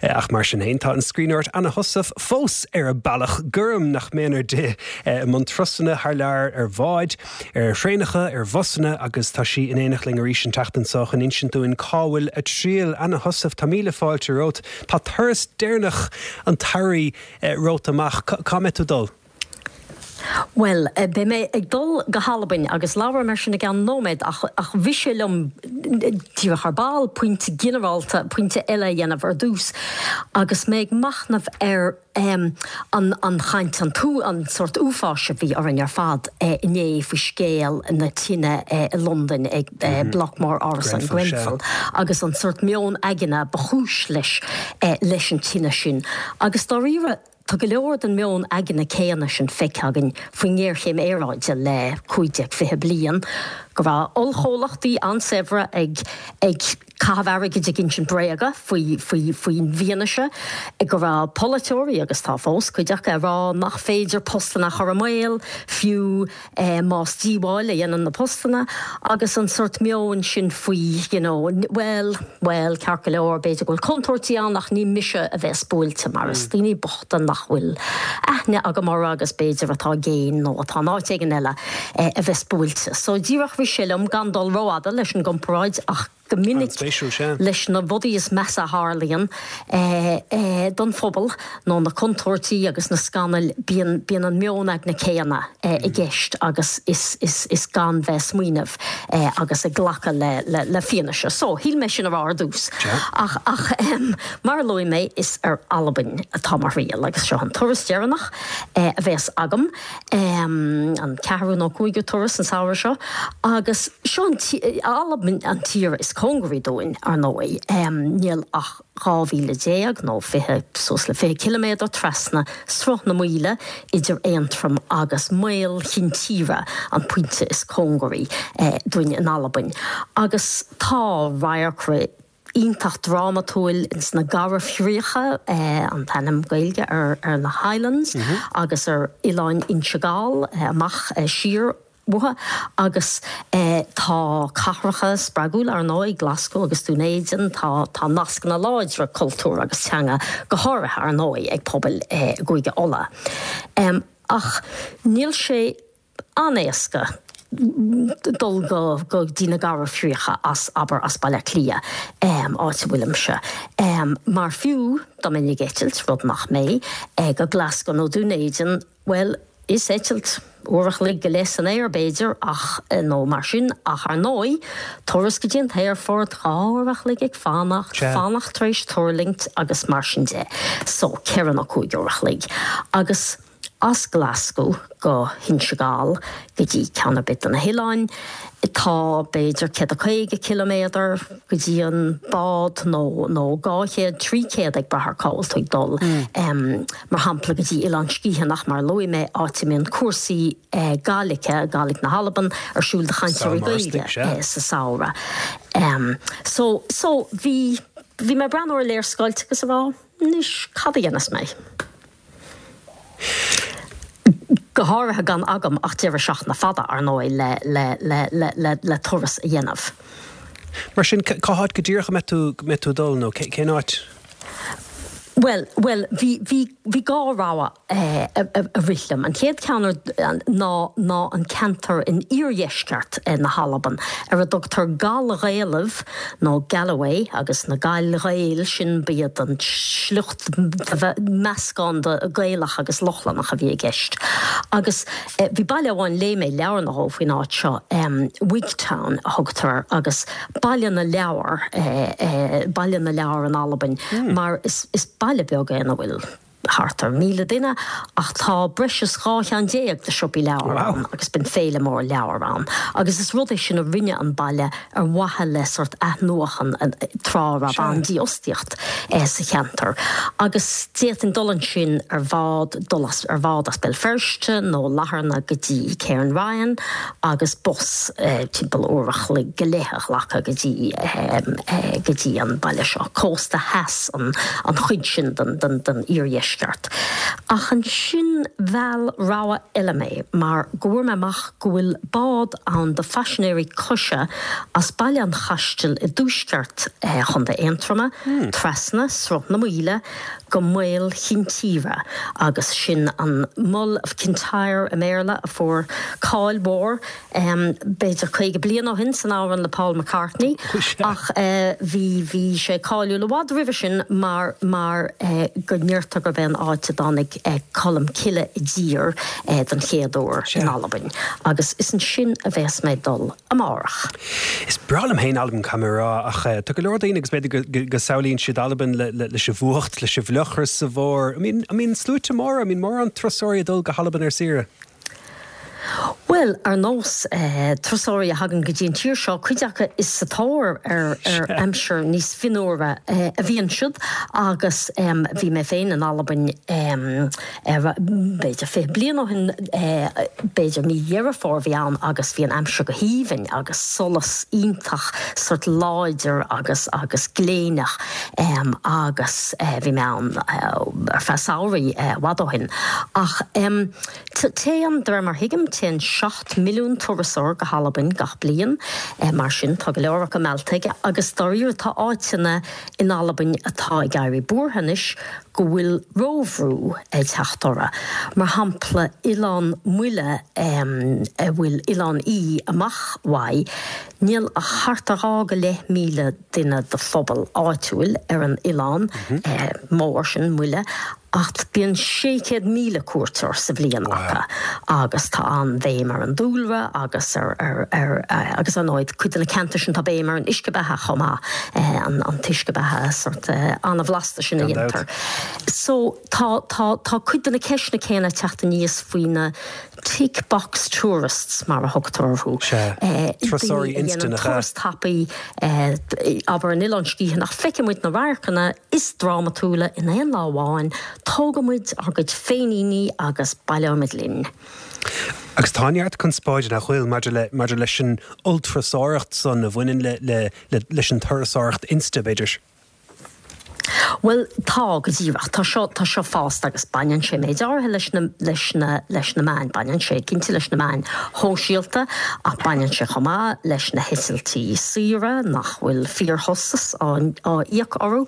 ach mar sin féin tá an scríbhneoir Anna Heussaff fós ar a bealach gorm nach méanar di i mbun turasanna thar lear ar bháid, ar thraenacha, ar bhusanna agus tá sí in éineacht linn arís an tseachtain seo chun insint dúinn cá bhfuil a triall. Anna Heussaff, tá míle fáilte romhat. Tá turas deireanach an tsamhraidh romhat amach. Cá mbeidh tú ag dul? Bhuel, beidh mé ag dul go hAlbain agus labhróidh mé air sin i gceann nóiméad ach ach rith sé liom díreach ar ball pointe ginearálta, pointe eile a dhéanamh ar dtús agus mé ag machnamh ar an an chaint, an t-, an sórt uafáis a bhí orainn ar fad inné faoi scéal na tine i Londain ag bloc mór árasán Grenfell agus an sórt meon aigne ba chúis leis leis an tine sin agus dáiríre Tá go leor den meon aigne céanna sin feicthe againn faoin ngéarchéim aeráide le cúig déag fiche bliain, go raibh ollchomhlachtaí an-saibhre ag ag caitheamh airgid ag insint bréaga faoi faoi faoin bhfianaise, go raibh polaiteoirí, agus tá fós, cuid acu, ag rá nach féidir postanna a chur i mbaol, fiú más díobháil a dhéanann na postanna, agus an sórt meoin sin faoi you know bhuel, bhuel, ceart go leor, b'fhéidir go bhfuil contúirtí ann ach ní mise a bheas buailte mar is daoine bochta nach bhfuil aithne agam orthu agus b'fhéidir atá i gcéin nó atá in áit éigin eile a bheas buailte. So díreach rith sé liom gan dul rófhada leis an gcomparáid ach go minic leis na rudaí is measa a tharlaíonn don phobal nó na contúirtí agus na scannail bíonn bíonn an meon aigne céanna i gceist agus is is is gan bheith smaoineamh agus ag glacadh le le le fianaise. So shíl mé sin a rá ar dtús. Ach ach mar a luaigh mé is ar Albain atá mo thriall agus seo an turas deireanach a bheas agam, an ceathrú nó cúigiú turas an samhradh seo agus seo an Albain an tír is cóngaraí dúinn, ar ndóigh. Níl ach dhá mhíle déag nó fiche, suas le fiche ciliméadar trasna Sruth na Maoile idir Aontroim agus Maol Chinn Tíre, an pointe is cóngaraí dúinn in Albain. Agus tá radharcra iontach drámatúil ins na Garbhchríocha, an t-ainm Gaeilge ar na Highlands, agus ar Oileáin Inse Gall amach siar uathu. Agus tá cathracha spreagúla, ar ndóigh, Glasgow agus Dún Éideann, tá tá nascanna láidre cultúir agus teanga, go háirithe, ar ndóigh, ag pobail i gCúige Uladh. Ach níl sé an-éasca dul go go dtí na Garbhchríocha as abair as Baile Átha Cliath áit a bhfuilimse. Mar fiú dá mbeinn ag eitilt, rud nach mbeidh, go Glasgow nó Dún Éideann, bhuel, is eitilt uair a chloig go leith san aer b'fhéidir ach nó mar sin ach ar ndóigh, turas go dtí an t-aerfort, dhá uair a chloig ag fanacht, fanacht tar éis tuirlingt agus mar sin de. So, ceithre nó cúig uair a chloig. Agus as Glasgow go hInse Gall go dtí ceann ar bith de na hoileáin, tá b'fhéidir céad a caoga ciliméadar go dtí an bád nó nó dhá chéad, trí chéad ag brath ar cá bhfuil tú ag dul. Mar shampla go dtí Oileán Sgitheanach mar a luaigh mé, áit a mbíonn cúrsaí Gàidhlige, Gàidhlig na hAlban, ar siúl do chainteoirí Gaeilge sa samhradh. So so bhí bhí mé ag breathnú ar léarscáilte agus ag rá, anois cad a dhéanfas mé? Go háirithe gan agam ach deireadh seachtaine fada, ar ndóigh, le, le, le, le, le, le turas a dhéanamh. Mar sin, cá háit go díreach a mbeidh tú, mbeidh tú ag dul nó cén áit? Bhuel, bhuel, bhí, bhí, bhí dhá rogha a, a rith liom. An chéad cheann ná, ná an ceantar in iardheisceart na hAlban ar a dtugtar Gall-Ghaelaibh nó Galloway agus na Gall-Ghaeil sin, b'iad an sliocht, meascán de Gaelach agus Lochlannach a bhí i gceist. Agus bhí baile amháin, léigh mé leabhar nó dhó faoin áit seo, Wigtown a thugtar air agus Baile na Leabhar, Baile na Leabhar in Albain, mar is baile beag é ina bhfuil thart ar mhíle duine ach tá breis is dhá cheann déag de siopaí leabhar ann agus bíonn féile mór leabhar ann agus is rud é sin a rinne an baile ar mhaithe le sórt athnuachan tráth a raibh an-dífhostaíocht sa cheantar agus d'fhéadfainn dul ansin ar bhád, dul as ar bhád as Béal Feirste nó Latharna go dtí Cairnryan agus bus timpeall uair a chloig go leith a ghlacadh go dtí go dtí an baile seo, cósta theas an an chuid sin den den den iardheisceart. Ach ansin mheall rogha eile mé mar go bhfuair mé amach go bhfuil bád ann do phaisinéirí coise as Baile an Chaistil i dtuaisceart Chontae Aontroma, trasna Sruth na Maoile go Maol Chinn Tíre agus sin an Mull of Kintyre i mBéarla a fuair cáil mhór b'fhéidir caoga bliain ó shin san amhrán le Paul McCartney ach bhí bhí sé cáiliúil i bhfad roimhe sin mar mar go ndeirtear gurb é an áit a dtáinig Colm Cille i dtír den chéad uair in Albain agus is ansin a bheas mé ag dul amárach. Is breá liom féin Albain, caithfidh mé a rá, ach tá go leor daoine agus b'fhéidir go samhlaíonn siad Albain leis an bhfuacht, leis an bhfliuchras sa bhfómhar. An mbíonn sluaite móra, an mbíonn mórán turasóirí ag dul go hAlbain ar saoire? Bhuel, ar nós turasóirí a thagann go dtí an tír seo, cuid acu is sa tóir ar aimsir níos fionnuaire a bhíonn siad agus bhí mé féin in Albain b'fhéidir fiche bliain ó shin, b'fhéidir mí Dheireadh Fómhair a bhí ann agus bhí an aimsir go haoibhinn agus solas iontach sórt láidir agus agus gléineach agus bhí mé ann ar feadh samhraidh i bhfad ó shin. Ach téann, de réir mar a thuigim, téann seacht milliún turasóir go hAlbain gach bliain, mar sin tá go leor acu meallta aige agus dáiríre tá áiteanna in Albain atá ag éirí buartha anois go bhfuil róbhrú ag teacht orthu. Mar shampla Oileán Muile a bhfuil Oileán Í amach uaidh, níl ach thart ar dhá go leith míle duine de phobal áitiúil ar an oileán mór sin, Muile, Ach bíonn sé chéad míle cuairteoir sa bhliain acu agus tá an-bhéim ar an dúlra agus ar, ar, ar, agus ar ndóigh cuid de na ceantair sin tá béim ar an uisce beatha chomh maith, an, an t-uisce beatha sort an-bhlasta sin a dhéantar. So tá, tá, tá cuid de na ceisteanna céanna ag teacht aníos faoi na tick box tourists mar a thugtar orthu. Sea, turasóirí Daoine a dhéanann insteannacha. turas tapaidh, abair an Oileán Sgitheanach, feicfidh muid na radharcanna is drámatúla in aon lá amháin, tógfaidh muid ár gcuid féiníní agus baileoidh muid linn. Agus tá neart conspóide, nach bhfuil, maidir le, maidir leis an ollturasóireacht san a bhaineann le, le, le, leis an turasóireacht inste, b'fhéidir. Bhuel, tá, go díreach. Tá seo, tá seo fásta agus baineann sé méid áirithe leis na, leis na, leis na meáin. Baineann sé cinnte leis na meáin shóisialta ach baineann sé chomh maith leis na heitiltí saora nach bhfuil fíorchostas á, á íoc orthu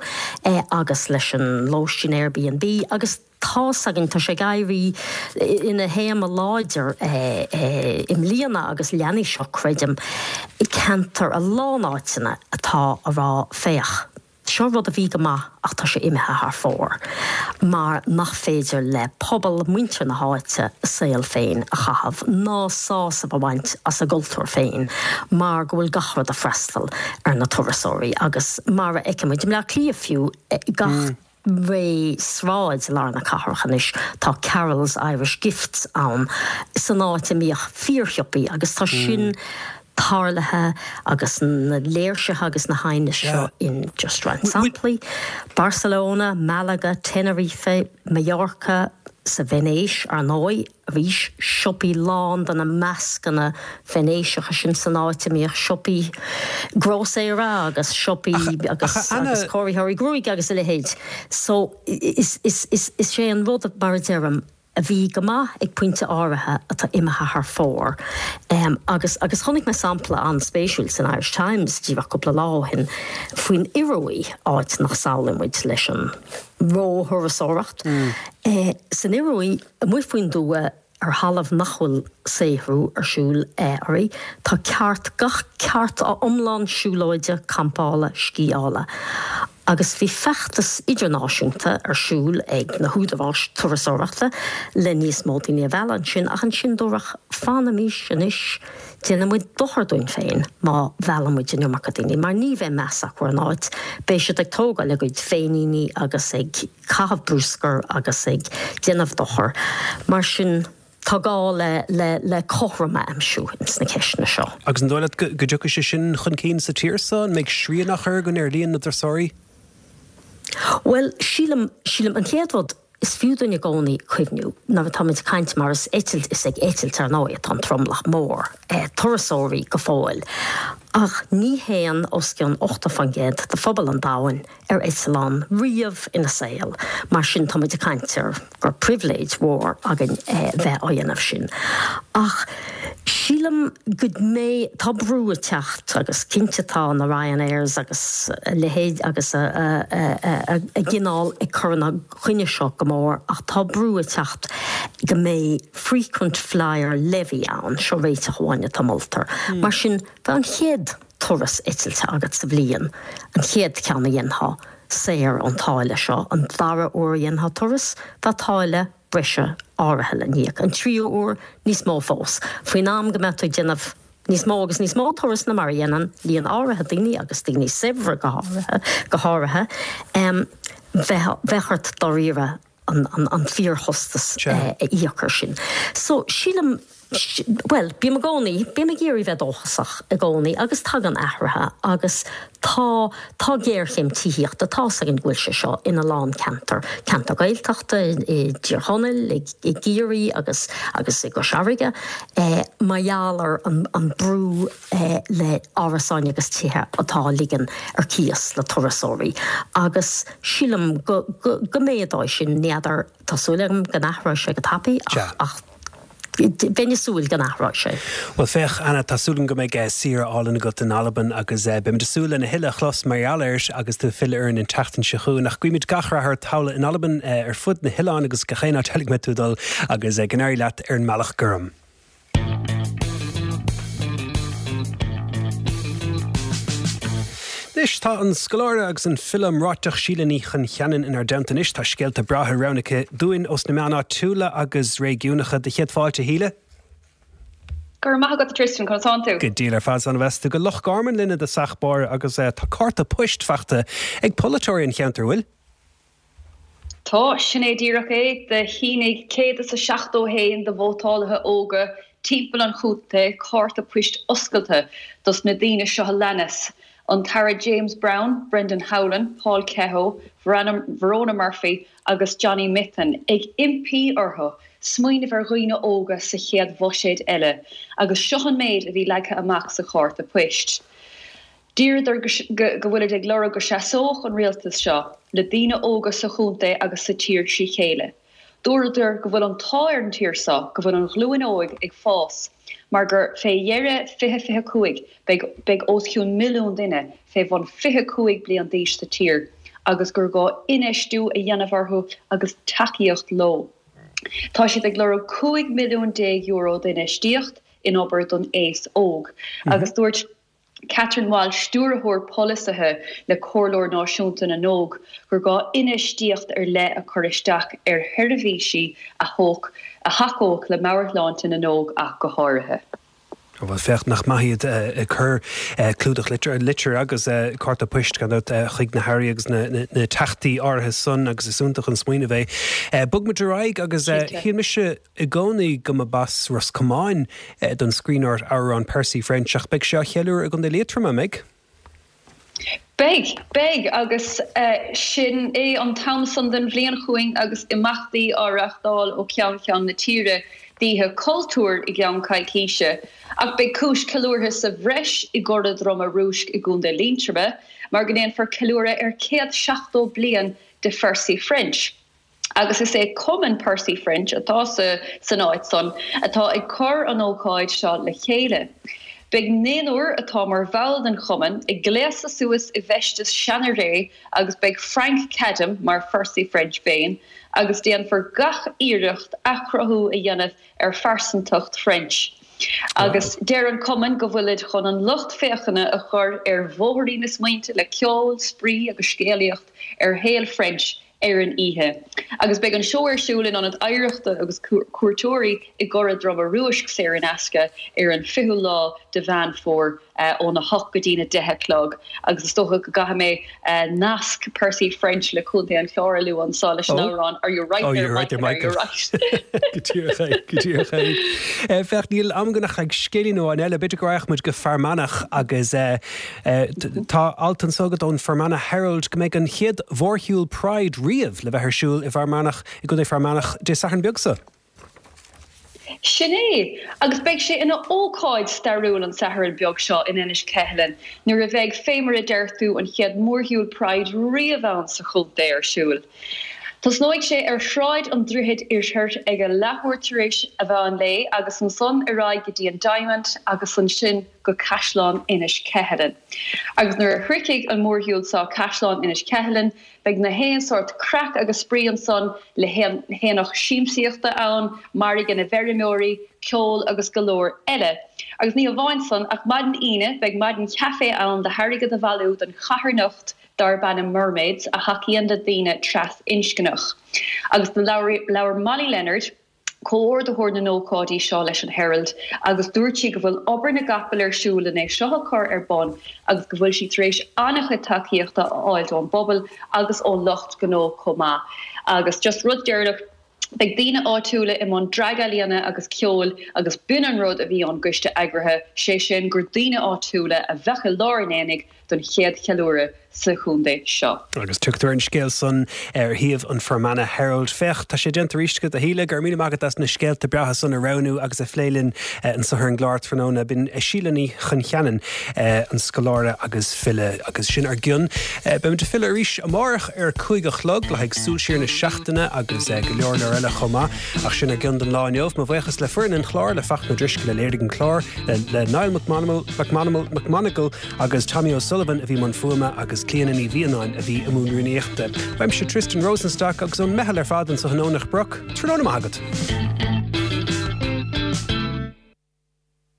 agus leis an lóistín Airbnb agus tá's againn, tá sé ag éirí ina théama láidir i mbliana agus leanfaidh seo, creidim, i gceantar a lán áiteanna atá a rá féach, seo rud a bhí go maith ach tá sé imithe thar fóir mar nach féidir le pobal, muintir na háite a saol féin a chaitheamh ná sásamh a bhaint as a gcultúr féin mar go bhfuil gach rud ag freastal ar na turasóirí agus mar a fheicimid i mBleá Cliath fiú, gach. ré sráid i lár na cathrach anois, tá Carroll's Irish Gifts ann san áit a mbíodh fíorshiopaí agus tá sin tarlaithe agus na léirsithe agus na haighnis seo in just roinnt samplaí, Barcelona, Malaga, Tenerife, Mallorca, sa Veinéis ar ndóigh. Arís, siopaí lán de na mascanna Veinéiseacha sin san áit a mbíodh siopaí grósaera agus siopaí agus agus cóiritheoirí gruaige agus a leithéid. So, is is is is é an rud, mar a deirim, a bhí go maith ag pointe áirithe atá imithe thar fóir. Agus agus chonaic mé sampla an-spéisiúil san Irish Times díreach cúpla lá ó shin faoin Ioruaidh, áit nach samhlaíonn muid leis an róthurasóireacht. San Ioruaidh, amuigh faoin dtuath, ar thalamh nach bhfuil saothrú ar siúl uirthi, tá ceart, gach ceart iomlán siúlóide, campála, sciála. Agus bhí feachtas idirnáisiúnta ar siúl ag na húdaráis turasóireachta le níos mó daoine a mhealladh ansin, ach ansin dúradh, fanaimis anois, déanann muid dochar dúinn féin má mheallann muid an iomarca daoine, mar ní bheidh meas acu ar an áit, beidh siad ag tógáil a gcuid féiníní agus ag caitheamh bruscair agus ag déanamh dochair. Mar sin, tá gá le le le cothrom a aimsiú ins na ceisteanna seo. Agus an dóigh leat go dtiocfaidh sé sin chun cinn sa tír seo? An mbeidh srian á chur againn ar líon na dturasóirí? Bhuel, sílim, sílim, an chéad rud, is fiú dúinn i gcónaí cuimhniú nuair atáimid ag caint mar is eitilt, is ag eitilt ar ndóigh atá an tromlach mór turasóirí go fóill, ach ní théann os cionn ochtó faoin gcéad de phobal an domhain ar eitleán riamh ina saol, mar sin táimid ag caint ar gur pribhléid mhór againn bheith á dhéanamh sin. Ach sílim go mbeidh, tá brú ag teacht agus cinnte tá na Ryanairs agus a leithéid agus a a gcineál ag cur ina choinne seo go mór ach tá brú ag teacht go mbeidh frequent flyer levy ann, seo réiteach amháin atá moltar. Mar sin bheadh an chéad turas eitilte agat sa bhliain, an chéad cheann a dhéanfá, saor ón táille seo, an dara huair a dhéanfá turas, bheadh táille breise áirithe le n-íoc, an tríú huair, níos mó fós. Faoin am go mbeadh tú ag déanamh níos mó agus níos mó turas ná mar a dhéanann líon áirithe daoine, agus daoine saibhre go háirithe, go háirithe, bheadh, bheadh ort dáiríre an, an, an fíorchostas a íoc air sin. So, sílim, bhuel, bím i gcónaí, bím ag iarraidh bheith dóchasach i gcónaí agus tagann athruithe agus tá, tá géarchéim tithíochta, tá's againn go bhfuil sé seo ina lán ceantar, ceantar Gaeltachta i dTír Chonaill, i gCiarraí agus, agus i gCois Fharraige, mar gheall ar an, an brú le árasáin agus tithe atá á ligean ar cíos le turasóirí agus sílim go, go, go méadóidh sin, ní fheadar, tá súil agam go n-athróidh sé go tapaidh ach, ach bheinn ag súil go n-athróidh sé. Bhuel féach, Anna, tá súil agam go mbeidh saoire álainn agat in Albain agus beimid ag súil lena thuilleadh a chlos mar gheall air agus tú ag filleadh orainn an tseachtain seo chugainn. Ach guímid gach rath ort thall in Albain, ar fud na hoileáin agus gach aon áit eile go mbeidh tú ag dul agus go n-éirí leat ar an mBealach Gorm. Anois tá an scoláire agus an file iomráiteach Síle Ní Choncheanainn inár dteannta anois. Tá scéalta breátha roghnaithe aici dúinn ós na meáin áitiúla agus réigiúnacha. Do chéad fáilte, a Shíle. Go raibh maith agat a Tristan, conas tánn tú? Go diail ar fad, is ann tú go Loch Garman linn i dtosach báire agus tá cárta poist faighte ag polaiteoirí an cheantair, bhfuil? Tá, sin é díreach é. Do shínigh céad is a seachtó a haon de vótálaithe óga timpeall an chontae cárta poist oscailte dos na daoine seo a leanas, an tAire James Browne, Brendan Howlin, Paul Kehoe, Verona Murphy agus Johnny Mythen, ag impí orthu smaoineamh ar dhaoine óga sa chéad bhuiséad eile agus seo an méid a bhí leagtha amach sa chárta poist. D'iarradar go bhfuilid ag lorg go seasódh an rialtas seo le daoine óga sa chontae agus sa tír trí chéile. Dúradar go bhfuil an t-ádh ar an tír seo go bhfuil an ghlúin óig ag fás mar gur fé dheireadh fiche fiche cúig beidh beidh os cionn milliún duine fé bhun fiche cúig bliain d'aois sa tír agus gur gá infheistiú a dhéanamh orthu agus tacaíocht leo. Tá siad ag lorg cúig milliún déag euro d'infheistíocht in obair don aos óg agus dúirt Catherine Walsh, Stiúrthóir Polasaithe le Comhairleoir Náisiúnta na nÓg, gur gá infheistíocht ar leith a chur isteach ar sheirbhísí a thacódh le meabhairshláinte na n-óg ach go háirithe. Bhuel, féach nach maith iad ag cur clúdach litir agus cárta poist gan dabht chuig na hairí agus na teachtaí áirithe san agus is iontach an smaoineamh é. Bog muid ar aghaidh agus shíl mise i gcónaí go mba as Ros Comáin don scríbhneoir amhrán Percy French ach beidh sé á cheiliúradh i gContae Liatroma, an mbeidh? Beidh, beidh, agus sin é an t-am san den bhliain chugainn agus imeachtaí á reáchtáil ó cheann ceann na tíre d'Oíche Chultúir i gceann coicíse. Ach beidh cúis ceiliúrtha sa bhreis i gCora Droma Rúisc i gContae Liatroma mar go ndéanfar ceiliúradh ar céad seachtó bliain de Phercy French. Agus is é Cumann Percy French atá sa san áit san atá ag cur an ócáid seo le chéile. Beidh naonúr atá mar bhall den chumann ag gléasadh suas i bhfeisteas seana-ré agus beidh Frank Cadam mar Phercy French féin agus déanfar gach iarracht athchruthú a dhéanamh ar phearsantacht French. Agus deir an cumann go bhfuilid chun an lucht féachana a chur ar bhóithrín na smaointe le ceol, spraoi agus scéalaíocht ar shaol French ar an oíche. Agus beidh an seó ar siúl in Ionad Oidhreachta agus Cuairteoirí i gCora Droma Rúisc saor in aisce ar an fichiú lá de Mheán Fómhair óna hocht go dtína deich a chlog. Agus is dócha go gcaithfidh mé nasc Percy French le Contae an Chláir a lua anseo leis an amhrán Are you right there Michael, are you right? Go díreach é, go díreach é. Féach, níl am againn ach le scéilín amháin eile, b'fhéidir go raghadh muid go Fear Manach agus tá alt anseo agat ón Fermanagh Herald go mbeidh an chéad mhórshiúl Pride riamh le bheith ar siúl i bhFear Manach, i gContae Fear Manach, Dé Sathairn beag seo. Sin é! Agus beidh sé ina ócáid stairiúil an Satharn beag seo in Inis Ceithleann nuair a bheidh, fé mar a deir tú, an chéad mhórshiúl Pride riamh ann sa chontae ar siúl. Tosnóidh sé ar Shráid an Droichid Oirthir ag a leathuair tar éis a mheán lae agus ansan ar aghaidh go dtí an Diamond agus ansin go Caisleán Inis Ceithleann. Agus nuair a shroichfidh an mórshiúl seo Caisleán Inis Ceithleann, beidh na haon sórt craic agus spraoi ansan le haonach siamsaíochta ann, margadh na bhfeirmeoirí, ceol agus go leor eile. Agus ní hamháin san, ach maidin Aoine beidh maidin chaife ann le hairgead a bhailiú don charthanacht darb ainm Mermaids a thacaíonn le daoine trasinscneach. Agus do labhair Molly Leonard, comhordaitheoir na n-ócáidí seo leis an Herald agus dúirt sí go bhfuil obair na gcapall ar siúl len é seo a chur ar bun agus go bhfuil sí tar éis an-chuid tacaíochta a fháil ón bpobal agus ón lucht gnó chomh maith. Agus just rud deireanach, beidh daoine áitiúla i mbun dragealaíona agus ceoil agus b'in an rud a bhí ón gcoiste eagraithe, sé sin gur daoine áitiúla a bheadh i lár an aonaigh don chéad cheiliúradh sa chontae seo. Agus tugtar an scéal san ar shuíomh an Fermanagh Herald. Féach, tá sé déanta arís agat, a Shíle. Go raibh míle maith agat as na scéalta breátha san a roghnú agus a phlé linn anso ar an gclár tráthnóna. B'in Síle Ní Choncheanainn, an scoláire agus file, agus sin ár gcionn. Beimid ag filleadh arís amárach ar a cúig a chlog le haghaidh Súil Siar na Seachtaine agus go leor leor eile chomh maith. Ach sin ár gcionn don lá inniu. Mo bhuíochas le foireann an chláir, le Fachtna Ó Drisceoil a léirigh an clár, le Niall McMonagall, McMonagall agus Tommy O'Sullivan a bhí i mbun fuaime agus Clíona Ní Mhianáin a bhí i mbun rúnaíochta. Uaimse Tristan Rosenstock agus ón meitheal ar fad anso in Aonach Broc, tráthnóna maith agat.